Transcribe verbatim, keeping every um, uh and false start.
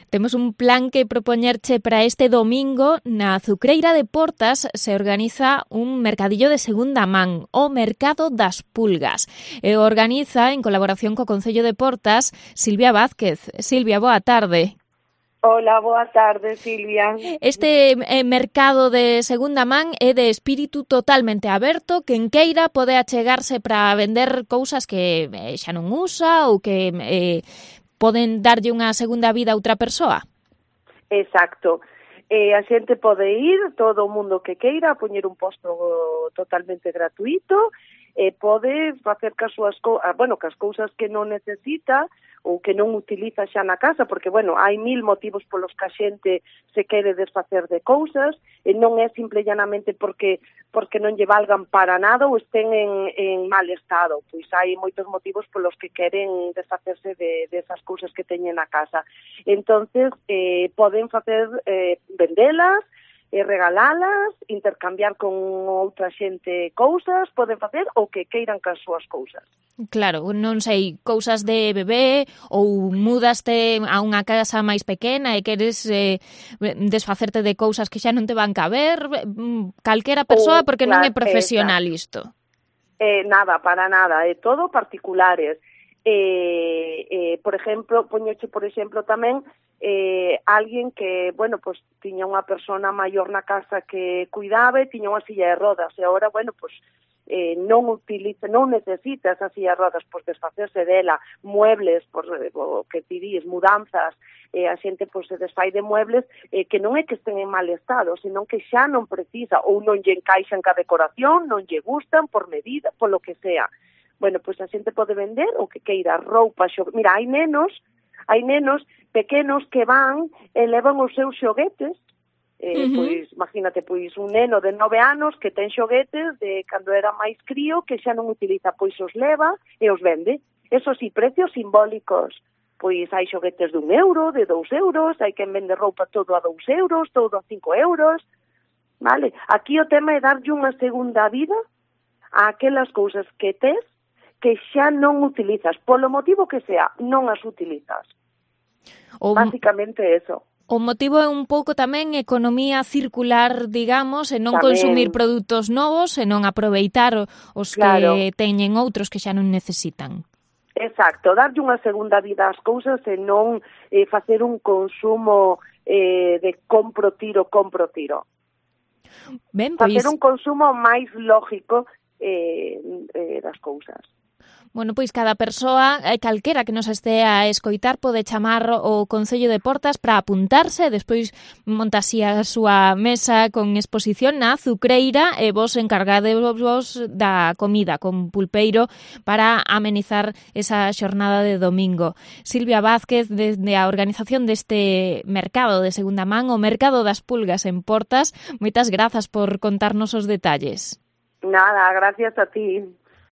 Temos un plan que propoñerche para este domingo. Na Azucreira de Portas se organiza un mercadillo de segunda man, o Mercado das Pulgas. E organiza, en colaboración co Concello de Portas, Silvia Vázquez. Silvia, boa tarde. Hola, boa tarde, Silvia. Este eh, mercado de segunda man é de espírito totalmente aberto, quen queira pode achegarse para vender cousas que eh, xa non usa ou que eh, poden darlle unha segunda vida a outra persoa. Exacto. Eh, a xente pode ir, todo o mundo que queira, poñer un posto totalmente gratuito, e pode facer cas súas co- ah, bueno, cas cousas que non necesita ou que non utiliza xa na casa, porque, bueno, hai mil motivos polos que a xente se quere desfacer de cousas, e non é simple llanamente porque porque non lle valgan para nada ou estén en, en mal estado, pois hai moitos motivos polos que queren desfacerse de, de esas cousas que teñen na casa. Entonces, eh, poden facer, eh, vendelas, e regalalas, intercambiar con outra xente cousas, poden facer o que queiran cas súas cousas. Claro, non sei, cousas de bebé ou mudaste a unha casa máis pequena e queres eh, desfacerte de cousas que xa non te van caber, calquera persoa, porque non é profesional isto. Eh, nada, para nada, é todo particulares. Eh, eh, por exemplo, poñoche, por exemplo, tamén eh, alguén que, bueno, pues tiña unha persona maior na casa que cuidaba e tiña unha silla de rodas e agora, bueno, pues eh, non utiliza, non necesita esa silla de rodas, pues desfacerse dela, muebles, por, o que ti dis, mudanzas, eh, a xente pues, se desfai de muebles eh, que non é que estén en mal estado, senón que xa non precisa ou non lle encaixan ca decoración, non lle gustan por medida, por lo que sea. Bueno, pois pues a xente pode vender o que queira, roupa, xo... Mira, hai nenos, hai nenos pequenos que van e levan os seus xoguetes, eh, uh-huh. pois, imagínate, pois un neno de nove anos que ten xoguetes de cando era máis crío que xa non utiliza, pois os leva e os vende. Eso sí, precios simbólicos. Pois hai xoguetes de un euro, de dous euros, hai quen vende roupa todo a dous euros, todo a cinco euros, vale? Aquí o tema é darlle unha segunda vida a aquelas cousas que tes que xa non utilizas, polo motivo que sea, non as utilizas. O, Básicamente eso. O motivo é un pouco tamén economía circular, digamos, e non tamén consumir produtos novos, e non aproveitar os claro. que teñen outros que xa non necesitan. Exacto, darlle unha segunda vida ás cousas e non eh, facer un consumo eh, de compro tiro, compro tiro. Ben, pois... Facer un consumo máis lógico eh, eh, das cousas. Bueno, pois cada persoa, calquera que nos este a escoitar, pode chamar o Concello de Portas para apuntarse, e despois montase a súa mesa con exposición na Azucreira e vos encargadevos da comida con pulpeiro para amenizar esa xornada de domingo. Silvia Vázquez, desde a organización deste mercado de segunda man, o Mercado das Pulgas en Portas, moitas grazas por contarnos os detalles. Nada, gracias a ti.